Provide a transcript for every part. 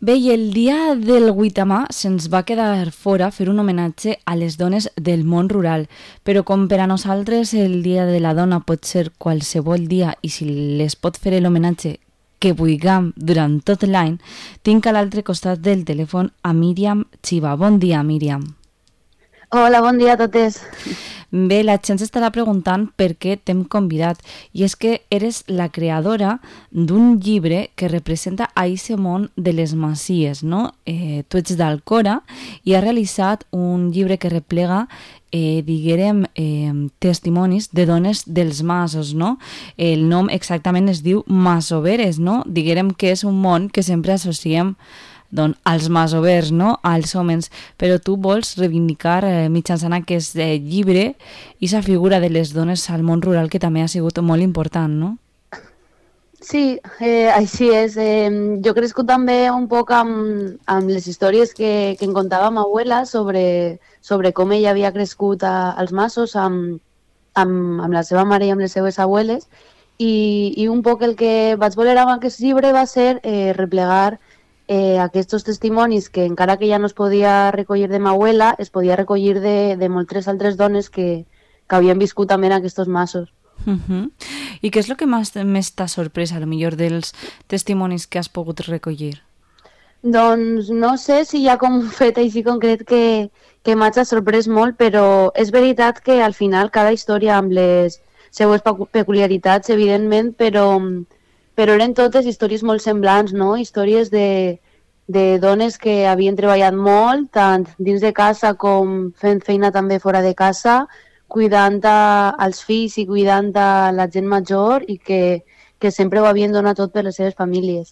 Bé, i el dia del 8 de març se'ns va quedar fora fer un homenatge a les dones del món rural, però com per a nosaltres el dia de la dona pot ser qualsevol dia i si les pot fer l'homenatge que vulguem durant tot l'any, tinc a l'altre costat del telèfon a Míriam Chiva. Bon dia, Míriam. Hola, bon dia a totes. Bé, la gent s'estarà preguntant per què t'hem convidat i és que eres la creadora d'un llibre que representa a aquest món de les masies, no? Tu ets d'Alcora i has realitzat un llibre que replega diguérem, testimonis de dones dels masos, no? El nom exactament es diu masoveres, no? Diguérem que és un món que sempre associem als masovers, no? Als homes, però tu vols reivindicar mitjançant aquest llibre i la figura de les dones al món rural que també ha sigut molt important, no? Sí, així és. Jo he crescut també un poc amb les històries que em contava ma abuela sobre com ella havia crescut als masos amb la seva mare i amb les seves abueles i un poc el que vaig voler amb aquest llibre va ser replegar aquests testimonis que encara que ja no es podia recollir de ma abuela, es podia recollir de moltes altres dones que havien viscut també en aquests masos. I què és el que més t'ha sorprès, a lo millor, dels testimonis que has pogut recollir? Doncs no sé si hi ha com un fet així concret que m'ha sorprès molt, però és veritat que al final cada història amb les seues peculiaritats, evidentment, però eren totes històries molt semblants, no? Històries de dones que havien treballat molt, tant dins de casa com fent feina també fora de casa, cuidant als fills i cuidant a la gent major i que sempre ho havien donat tot per les seves famílies.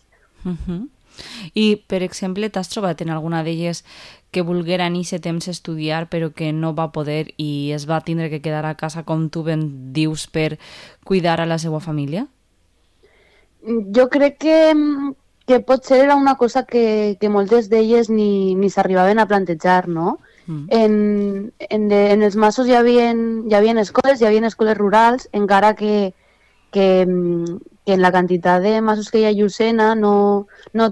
I, per exemple, t'has trobat en alguna d'elles que volguera en aquest temps estudiar però que no va poder i es va tindre que quedar a casa, com tu ben dius, per cuidar a la seva família? Jo crec que potser era una cosa que moltes d'elles ni s'arribaven a plantejar, no? En els masos hi havia escoles rurals, encara que en la quantitat de masos que hi ha a Llucena no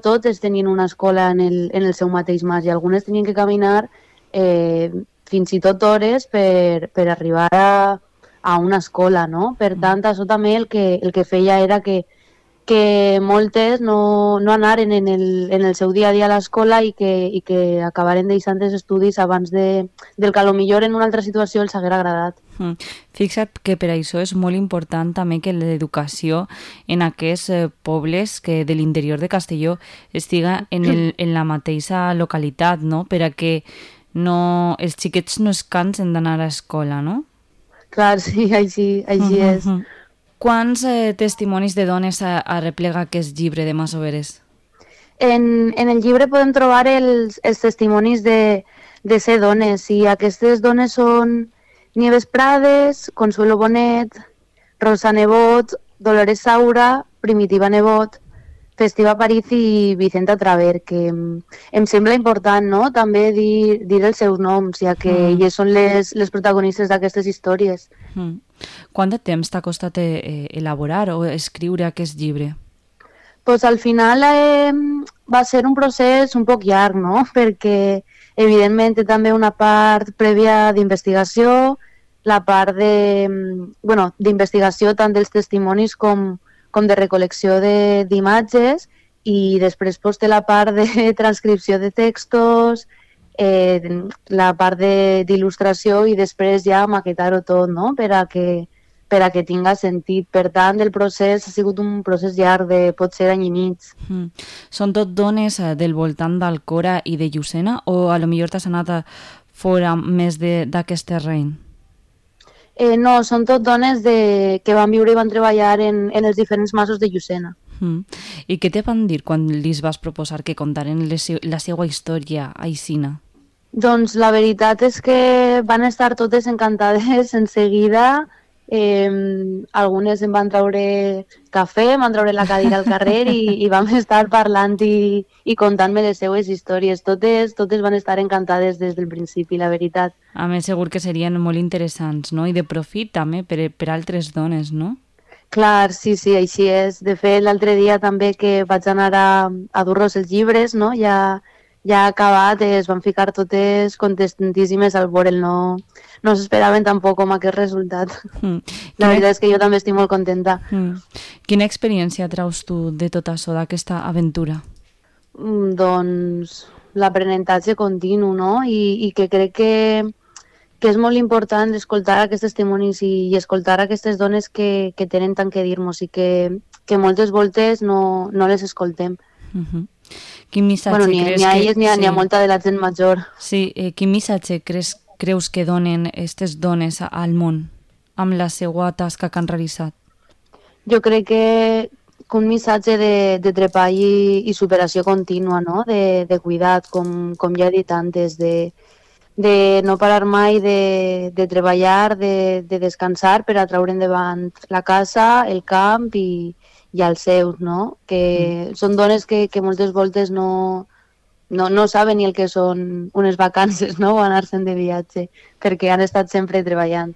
totes tenien una escola en el seu mateix mas i algunes tenien que caminar fins i tot hores per arribar a una escola, no? Per tant, això també el que feia era que moltes no anaren en el seu dia a dia a l'escola i que acabaren deixant els estudis abans del que millor en una altra situació els haguera agradat. Fixa't que per això és molt important també que l'educació en aquests pobles que de l'interior de Castelló estiga en la mateixa localitat, no? Per a que els xiquets no es cansen d'anar a l'escola, no? Clar, sí, així és. Quants testimonis de dones arreplega aquest llibre de masoveres? En el llibre podem trobar els testimonis de ser dones i aquestes dones són Nieves Prades, Consuelo Bonet, Rosa Nebot, Dolores Saura, Primitiva Nebot, Festiva París i Vicenta Traver, que em sembla important, no?, també dir els seus noms, ja que elles són les protagonistes d'aquestes històries. Quant de temps t'ha costat elaborar o escriure aquest llibre? Pues al final va ser un procés un poc llarg, no?, perquè evidentment té també una part prèvia d'investigació, la part d'investigació tant dels testimonis com de recol·lecció d'imatges i després té la part de transcripció de textos, la part d'il·lustració i després ja maquetar-ho tot, no?, per a que tinga sentit. Per tant, el procés ha sigut un procés llarg de potser any i mig. Són tot dones del voltant d'Alcora i de Llucena o a lo millor t'has anat fora més d'aquest terreny? No, són tot dones que van viure i van treballar en els diferents masos de Llucena. I què te van dir quan li vas proposar que contaren la seva història a Isina? Doncs la veritat és que van estar totes encantades en seguida. Algunes em van treure cafè, em van treure la cadira al carrer i vam estar parlant i contant-me les seues històries. Totes van estar encantades des del principi, la veritat. A més, segur que serien molt interessants, no? I de profit també per altres dones, no? Clar, sí, sí, així és. De fet, l'altre dia també que vaig anar a dur-los els llibres, no? Ja ha acabat, es van ficar totes contentíssimes al veure'l, no s'esperaven tampoc com aquest resultat. La veritat és que jo també estic molt contenta. Quina experiència traus tu de tot això, d'aquesta aventura? Doncs l'aprenentatge continu, no? I que crec que és molt important escoltar aquests testimonis i escoltar aquestes dones que tenen tant que dir-nos i que moltes voltes no les escoltem. Quin missatge Bueno, creus ni a elles ni a molta de la gent major. Sí, quin missatge creus que donen aquestes dones al món amb la seva tasca que han realitzat? Jo crec que un missatge de treball i superació contínua, no? De cuidat, com ja he dit antes, de no parar mai de treballar, de descansar per a treure endavant la casa, el camp i els seus, no? Que són dones que moltes voltes no saben ni el que són unes vacances, no? O anar-se'n de viatge, perquè han estat sempre treballant.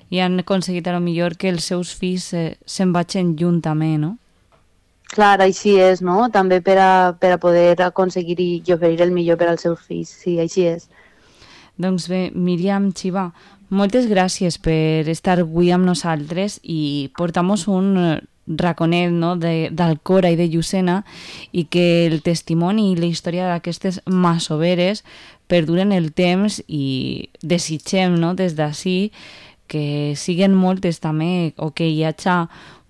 I han aconseguit a lo millor que els seus fills se'n vagin lluny també, no? Clar, així és, no? També per a poder aconseguir i oferir el millor per als seus fills, sí, així és. Doncs bé, Míriam Chiva, moltes gràcies per estar avui amb nosaltres i portar-nos un raconet, no? d'Alcora i de Llucena, i que el testimoni i la història d'aquestes masoveres perduren el temps i desitgem, no? des d'ací que siguen moltes també o que hi hagi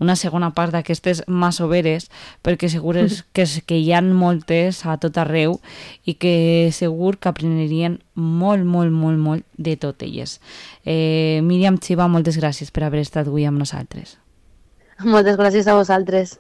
una segona part d'aquestes masoveres, perquè segur que hi ha moltes a tot arreu i que segur que aprenderien molt de tot elles. Míriam Chiva, moltes gràcies per haver estat avui amb nosaltres. Moltes gràcies a vosaltres.